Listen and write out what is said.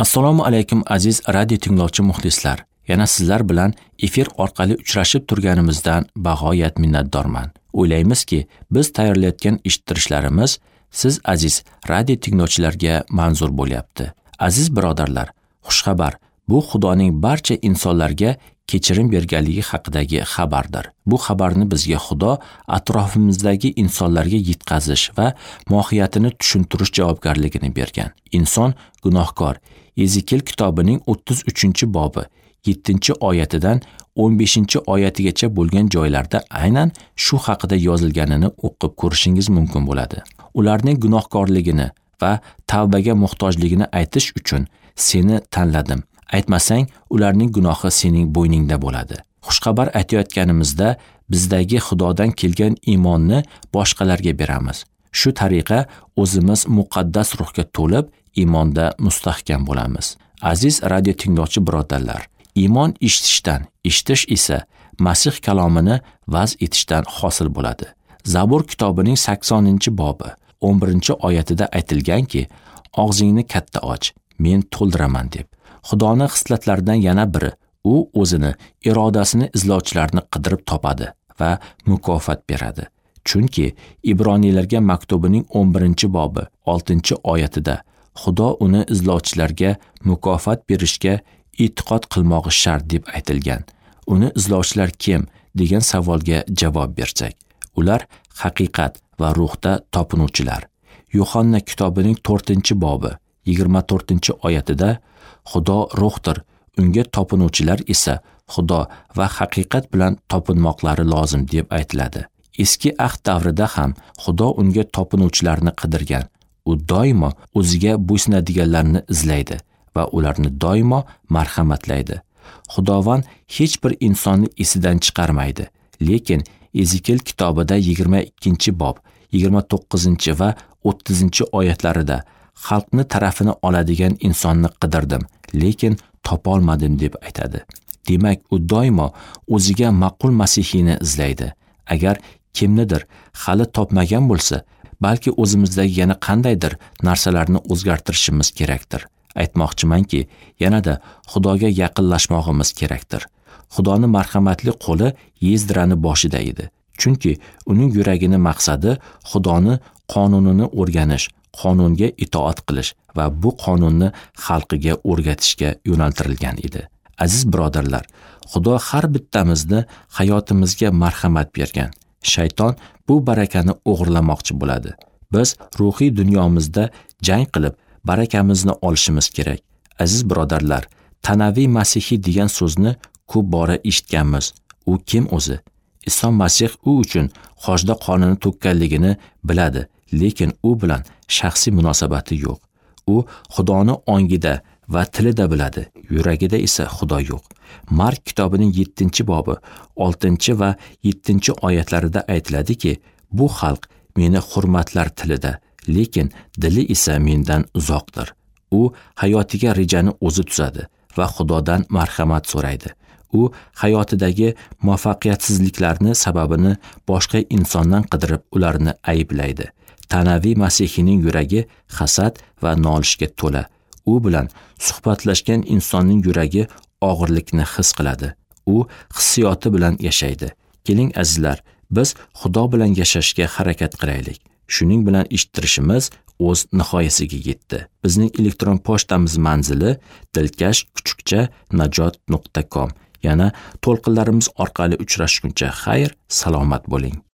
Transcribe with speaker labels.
Speaker 1: Assalomu alaykum aziz radio tinglovchi muxlislar. Yana sizlar bilan efir orqali uchrashib turganimizdan bag'oyat minnatdorman. O'ylaymizki, biz tayyorlayotgan eshittirishlarimiz siz aziz radio tinglovchilarga manzur bo'lyapti. Aziz birodarlar, xushxabar bu Xudoning barcha insonlarga kechirim berganligi haqidagi xabardir. Bu xabarni bizga Xudo atrofimizdagi insonlarga yetkazish va mohiyatini tushuntirish javobgarligini bergan. Inson gunohkor. Ezekiel kitobining 33-bobi 7-oyatidan 15-oyatigacha bo'lgan joylarda aynan shu haqida yozilganini o'qib ko'rishingiz mumkin bo'ladi. Ularning gunohkorligini va tavbaga muhtojligini aytish uchun seni tanladim. Aytmasang, ularning gunohi sening bo'yningda bo'ladi. Xushxabar aytayotganimizda bizdagi Xudodan kelgan iymonni boshqalarga beramiz. Shu tariqa o'zimiz muqaddas ruhga to'lib, iymonda mustahkam bo'lamiz. Aziz radio tinglovchi birodarlar, iymon eshitishdan, eshitish esa Masih kalomini vaz etishdan hosil bo'ladi. Zabur kitobining 80-bobi 11-oyatida aytilganki, og'zingni katta och, men to'ldiraman deb. Xudoni xislatlaridan yana biri, u o'zini irodasini izlovchilarni qidirib topadi va mukofot beradi. Chunki Ibroniylarga maktubining 11-bobi 6-oyatida Xudo uni izlovchilarga mukofot berishga e'tiqod qilmog'i shart deb aytilgan. Uni izlovchilar kim degan savolga javob bersak, ular haqiqat va ruhda topinuvchilar. Yuhanna kitobining 4-bobi 24-oyatida Xudo ruhdir, unga topinuvchilar esa Xudo va haqiqat bilan topinmoqlari lozim deb aytiladi. Eski ahd davrida ham Xudo unga topinuvchilarni qidirgan. U doimo o'ziga bo'ysunadiganlarni izlaydi va ularni doimo marhamatlaydi. Xudovand hech bir insonni esidan chiqarmaydi. Lekin Ezekiel kitobida 22-bob 29 va 30-oyatlarida xalqni tarafini oladigan insonni qidirdim, lekin topolmadim deb aytadi. Demak, u doimo o'ziga ma'qul masihiyni izlaydi. Agar kimnidir hali topmagan bo'lsa, balki o'zimizdagi yana qandaydir narsalarni o'zgartirishimiz kerakdir. Aytmoqchimanki, yanada Xudoga yaqinlashmoqimiz kerakdir. Xudoni marhamatli qo'li Yezdrani boshida edi. Chunki uning yuragini maqsadi Xudoni qonunini o'rganish, qonunga itoat qilish va bu qonunni xalqiga o'rgatishga yo'naltirilgan edi. Aziz birodarlar, Xudo har bittamizni hayotimizga marhamat bergan. Shayton bu barakani o'g'irlamoqchi bo'ladi. Biz ruhiy dunyomizda jang qilib, barakamizni olishimiz kerak. Aziz birodarlar, tanaviy masihiy degan so'zni ko'p bora eshitganmiz. U kim o'zi? Iso Masih u uchun xochda qonini to'kkanligini biladi, lekin u bilan shaxsiy munosabati yo'q. U Xudoni ongida va tilida biladi, yuragida esa Xudo yo'q. Mark kitobining 7-bobi 6 va 7-oyatlarida aytiladiki, bu xalq meni hurmatlar tilida, lekin dili esa mendan uzoqdir. U hayotiga rejani o'zi tuzadi va Xudodan marhamat so'raydi. U hayotidagi muvaffaqiyatsizliklarni sababini boshqa insondan qidirib, ularni ayblaydi. Tanaviy masihiyning yuragi hasad va nolishga to'la. U bilan suhbatlashgan insonning yuragi og'irlikni his qiladi. U hissiyoti bilan yashaydi. Keling azizlar, biz Xudo bilan yashashga harakat qilaylik. Shuning bilan eshittirishimiz o'z nihoyasiga yetdi. Bizning elektron pochtamiz manzili dilkash@najot.com. Yana to'lqinlarimiz orqali uchrashguncha xayr, salomat bo'ling.